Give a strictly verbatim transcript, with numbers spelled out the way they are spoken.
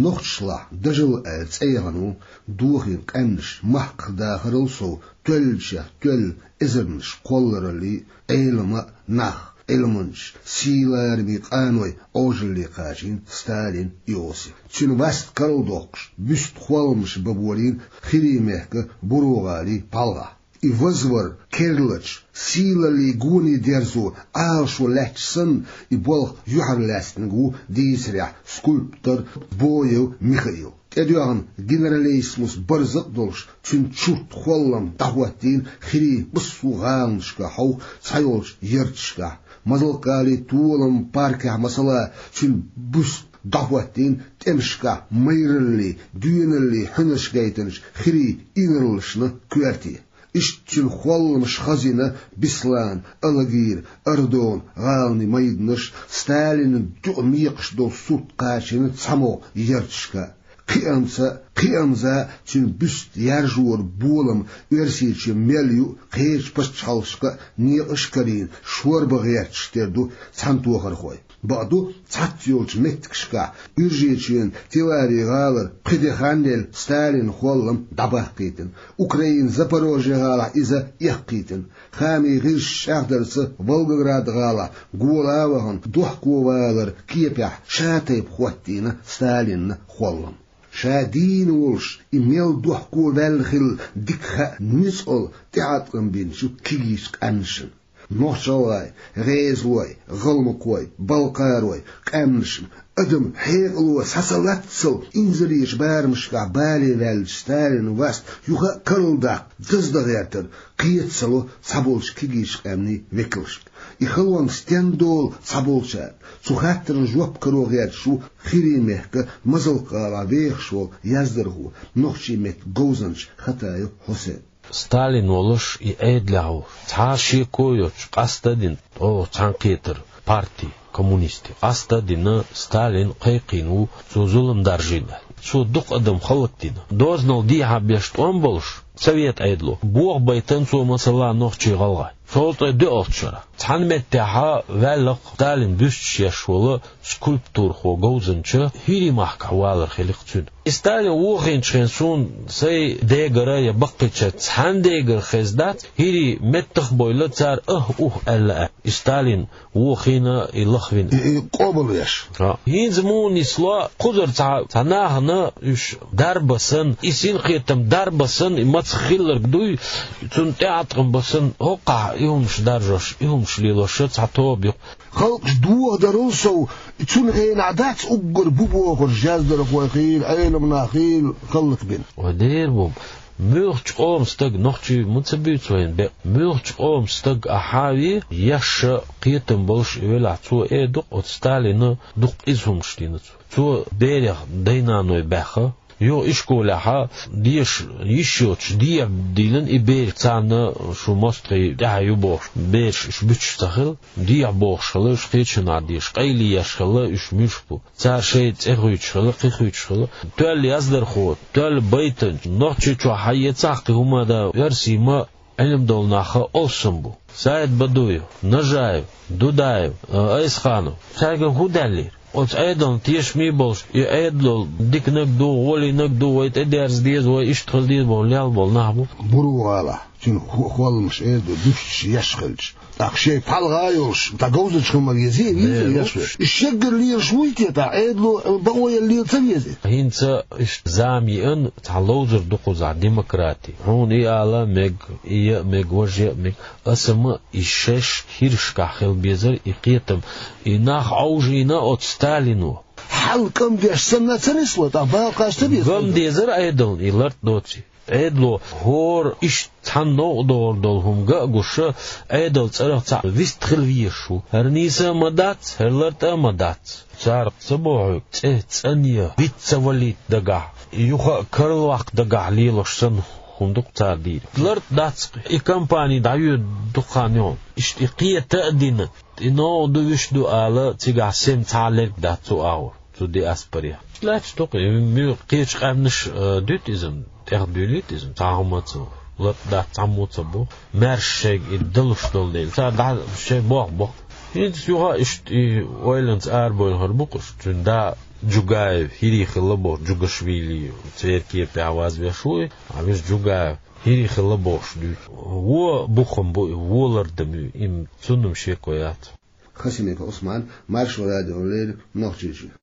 Нохчашлахь дажал аьлла цӀе яхана ву дохийна къаьмнаш махках дахарал сов, тоьллачех тоьлла эзарнаш кхоллараллий, Ӏелам а, нах, Ӏилманчаш, сийлахь армийн къаной Ӏожалле кхачийна Сталин Иосиф. Цуьнан васт карладоккхуш, бюст-холламаш бан болийна ХӀирийн мехка Буро-ГӀалий пхьалгӀахь. И вазвар керлачу, сийлаллин гоне дерзо Ӏалашо лаьтташ санна, и болх юьхьарлаьцнарг ву дийцарехь скульптор Боев Михаил. ТӀедоьгӀна генералиссимус барзакъ а долуш, цуьнан чурт-холлам дӀахӀоттийна ХӀирийн массо а гӀаланашкахь хьовха цхьайолчу ярташкахь. Мазалккалийн толаман паркехь, масала, цуьнан бюст дӀахӀоттийна тӀемашкахь майраллин, доьналлин хьуьнарш гайтинчу хӀирийн инарлашна коьрте. Иштта цуьнан холламаш хазйина Беслан, Алагира, Ардон гӀаланийн майданаш, Сталинан дуьхьа мекхаш долу сурт кхачийна цхьамогӀа ярташка. Кхиамца, кхиамза цуьнан бюст яржоран болам Оьрсийчоь мел ю, кхечу пачхьалкхашка а некъаш а карийна, шорба гӀерташ тера ду цхьаьнатохархой. Бакъду, цхьацца йолчу меттигашкахь, Уьржийчоьнан Телави-гӀалара пхи де хан елла Сталинан холлам дӀабаккхийтина, Украинан Запорожье-гӀалахь иза эккхийтина, хаамийн гӀирсаша чӀагӀдарца, Волгоград-гӀалахь гола а вахана, дохковаларан кепехь ша-тайпа хӀоттийна Сталинан холлам. Ша дийна волуш, и мел дохковаьлла хилла дика хаьа ницкъала тӀеӀаткъам бинчу кегийчу къаьмнашна. Нохч-гӀалгӀай, гӀезалой, гӀалмакхой, балкхарой, къаьмнашна, адам хьекъало схьа ца латтал, инзаречу барамашкахь бале ваьллачу Сталинан васт юха а карладаккха даздан гӀертар кхета ца ло цхьаболчу кегийчу къаьмнийн векалшка. И халонга стенна долу цхьаболчара? Цу хаттарна жоп каро гӀерташ ву ХӀирийн мехка Мазалккхалахь вехаш волу яздархо, нохчийн меттан говзанча Хатаев Хьусен. Сталин волуш и Ӏедалехь ву, цхьа а шеко йоцуш, къаста а дина, оха цхьаьнакхетар парти, коммунисти, къаста а дина, Сталин кхайкхийна ву цо зулам даржийна. Цо дукха адам хӀаллакдина. Дозанал дехьа беш тӀом болуш, совет Ӏедало, бохабайтина цо, масала, нохчий, гӀалгӀай. Цул тӀе доьалгӀачу шарахь цхьана меттехь ваьлла-кх Сталинан бюсташ еш волу скульптурхо, говзанча, ХӀирийн махкахь валар хили-кх цуьнан. И Сталин вохийначу хенахь суна сайн дегара я баккхийчеран цхьанна дегара хезна дац, хӀирий меттах а бевлла, цара «ах-ух» аьлла а. И Сталин вохийна, и лахвина. И, и къобалвеш. ХӀа. ХӀинца муха нисло, кхузара цхьа, цхьа нахана уьш дарба санна, и синкхетам дарба санна, и мацах хилларг дуй, цунна тӀеӀаткъам бан санна, хӀокхахь и хӀумаш даржош, и хӀумаш лелош цхьа тоба ю-кх. Халкъаш дохадарал сов, цунна хенахь дац уггар бу бохурш яздархой хийла, Ӏелам нах хийла, хӀаллакбина. Вай дера бу. Муьлххачу къоман стаг, нохчий ма ца буьйцу вайна бекъ, муьлххачу къоман стаг ахьа а ве, еш а, кхетам болуш а велахь, цо эр ду-кх, оцу Сталина дукха иза хӀумаш дина цо. Цо берех дай-наной баьхна, юха ишколехь деша йиш йоцуш дехьа дийлина и бераш, царна шу мостагӀий тӀаьхьа ю бохуш, бераш уьш буьтуш ца хилла, дехьа бохуш хилла уьш кхечанхьа деша, къайле еш хилла уьш муьлш бу. Цара шайн цӀе хуьйцуш хилла, кхин хуьйцуш хилла. Тоьлла яздархо, тоьлла байтанча, Нохчийчохь хьан эцахь кхин хӀума дан, оьрсий ма Ӏилма долу нах а алсам бу. Саид-Бадуев, Нажаев, Дудаев, а, Айсханов. Цаьргара хӀун даьллера? Оцу Ӏедална тешаме болуш, и Ӏедало диканиг ду, гӀолийниг ду, вай тӀедерза деза, вай иштта хила деза боху лелла болу нах бу. Буро-ГӀалахь, цуьнан хо-, холламаш эр ду, дуьсташ еш хилча. ТӀаккха шайн пхьалгӀа а йолуш, тӀаккха говзанча хила ма везий, везий, еш везий. Шеггара лелаш вуй те, тӀаккха Ӏедало бакъо ян лела ца везий? ХӀинца иштта зама еана, цхьа ловзар ду кхузахь, демократи. Хьуна и ала а мега, и ян а мега, важа ян а мега. Аса ма и шаьш хӀирашкахь хила безара и кхетам, и нах Ӏовжийна оцу Сталино. Хьал кӀам деш санна ца нисло, тӀаккха бакъ ца беза. ГӀам дезара Ӏедална и лартӀа доций. Ӏедало хӀора иштта цхьана новкъа догӀур долу хӀума ган а гуш, Ӏедалан цӀарах цхьаъ вист хила везаш ву. ХӀара нийса а ма дац, хӀара лартӀа а ма дац. Цара ца боху хьоьга, цӀе цӀанъян, виц ца валийта дагахь, юха а карладаккха дагахь лелош санна хӀума ду-кх цара дийриг. ЛартӀа дац-кх, и кампани дӀайоьду дукха хан йолу. Иштта и кхета а дина, и новкъа ду, вуьш ду ала, цигахь сема цхьа а лерг дац цу агӀор, цу диаспорехь. Лаьтташ ду-кх, и муьлхха кхечу къаьмнаша, а, дуьту иза, тӀехдуьйлийта иза, цхьа хӀума ца, лартӀа дац, цхьаммо ца боху, маьрша шайга и далуш долу дела. Цара дӀа шайн боху боху. ХӀинца юха иштта и ойланца арабойнхар бу-кх уж. Цуьнан да Джугаев, хӀирий хилла бохуш, Джугашвили, церкве пехьа вазвеш ву и, а вижа Джугаев, хӀирий хилла бохуш дуьйцу. Вон бухам бу и, вон лардам ю, им цунна-м шеко яц. Хасимиков Ӏусман, Маршо радиона леррина, Нохчийчоь.